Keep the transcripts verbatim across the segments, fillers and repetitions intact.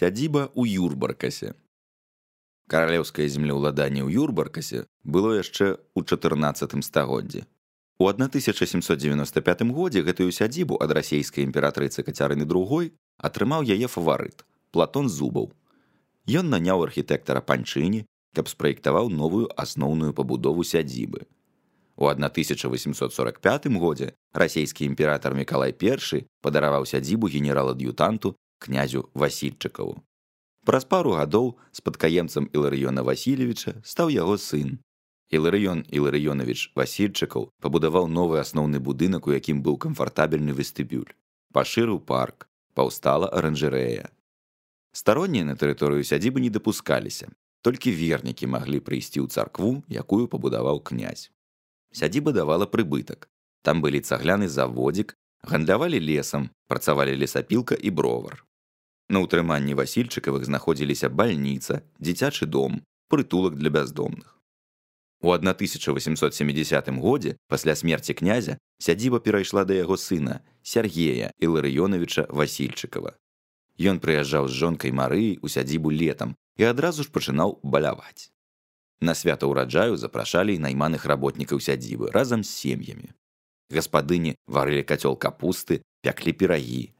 Сядзіба ў Юрбаркасе. Каралеўскае землеўладанне ў Юрбаркасе было яшчэ ў чатырнаццатым стагоддзі. У тысяча сямсот дзевяноста пятым годзе гэтую сядзібу ад расейскай імператрыцы Кацярыны другой атрымаў яе фаварыт Платон Зубаў. Ён наняў архітэктара Панчыні, каб спраектаваў новую асноўную пабудову сядзібы. У тысяча восемсот сорок пятым годзе расейскі імператар Мікалай першы падараваў сядзібу генерал-ад'ютанту князю Васільчыкаву. Праз пару гадоў спадкаемцам Іларыёна Васильевича стаў яго сын. Іларыён Іларыёнавіч Васільчыкаў пабудаваў новы асноўны будынак, у якім быў камфартабельны вестыбюль. Пашырыў парк, паўстала аранжарэя. Староннія на тэрыторыю сядзібы не дапускаліся, толькі вернікі маглі прыйсці ў царкву, якую пабудаваў князь. Сядзіба давала прыбытак. Там былі цагляны заводзік, гандлявалі лесам, працавалі лесапілка і бровар. На ўтрыманні Васільчыкавых знаходзіліся бальніца, дзіцячы дом, прытулак для бяздомных. У тысяча восемсот сямідзясятым годзе, пасля смерці князя, сядзіба перайшла да яго сына, Сяргея Іларыёнавіча Васільчыкава. Ён прыязджаў з жонкай Марыяй у сядзібу летам і адразу ж пачынаў баляваць. На свята ўраджаю запрашалі і найманых работнікаў сядзібы разам з сем'ямі. Гаспадыні варылі кацёл капусты, пяклі пірагі.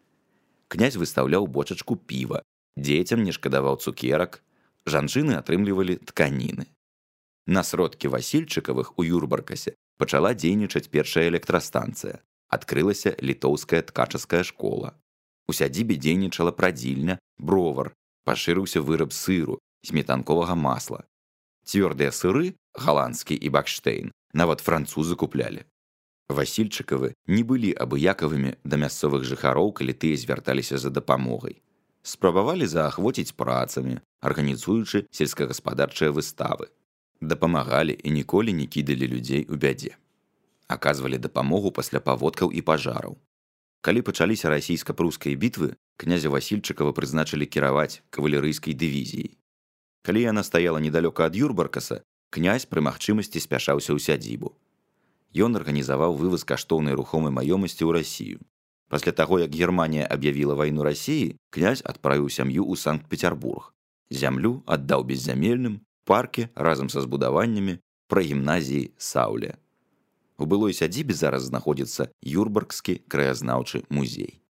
Князь выстаўляў бочачку піва, дзецям не шкадаваў цукерак, жанчыны атрымлівалі тканіны. На сродкі Васільчыкавых у Юрбаркасе пачала дзейнічаць першая электрастанцыя. Адкрылася літоўская ткачаская школа. У сядзібе дзейнічала прадзільня, бровар, пашырыўся выраб сыру, сметанковага масла. Цвёрдыя сыры, галандскі і бакштейн, нават французы куплялі. Васільчыкавы не былі абыякавымі да мясцовых жыхароў, калі тыя звярталіся за дапамогай. Спрабавалі заахвоціць працамі, арганізуючы сельскагаспадарчыя выставы. Дапамагалі і ніколі не кідалі людзей у бядзе. Аказвалі дапамогу пасля паводкаў і пажараў. Калі пачаліся расійска-прускай бітвы, князя Васільчыкава прызначылі кіраваць кавалерыйскай дывізіяй. Калі яна стаяла недалёка ад Юрбаркаса, князь пры магчымасці спяшаўся ў сядзібу. Ён арганізаваў вываз каштоўнай рухомай маёмасці ў Расію. Пасля таго, як Германія аб'явіла вайну Расіі, князь адправіў сям'ю ў Санкт-Пецярбург. Зямлю аддаў беззямельным, паркі разам са збудаваннямі пры гімназіі Саўле. У былой сядзібе зараз знаходзіцца Юрбаркскі краязнаўчы музей.